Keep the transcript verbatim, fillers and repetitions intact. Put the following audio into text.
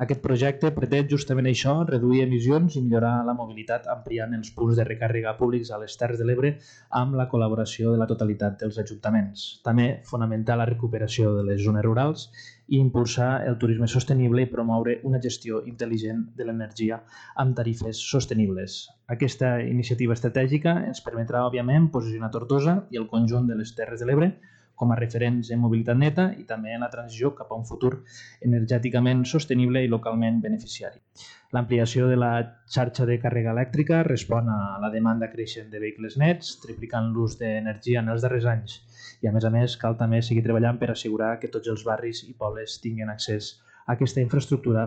Aquest projecte pretén justament això, reduir emissions i millorar la mobilitat ampliant els punts de recàrrega públics a les Terres de l'Ebre amb la col·laboració de la totalitat dels ajuntaments. També fomentar la recuperació de les zones rurals i impulsar el turisme sostenible i promoure una gestió intel·ligent de l'energia amb tarifes sostenibles. Aquesta iniciativa estratègica ens permetrà, òbviament, posicionar Tortosa i el conjunt de les Terres de l'Ebre com a referents en mobilitat neta i també en la transició cap a un futur energèticament sostenible i localment beneficiari. L'ampliació de la xarxa de càrrega elèctrica respon a la demanda creixent de vehicles nets, triplicant l'ús d'energia en els darrers anys. I a més a més cal també seguir treballant per assegurar que tots els barris i pobles tinguin accés a aquesta infraestructura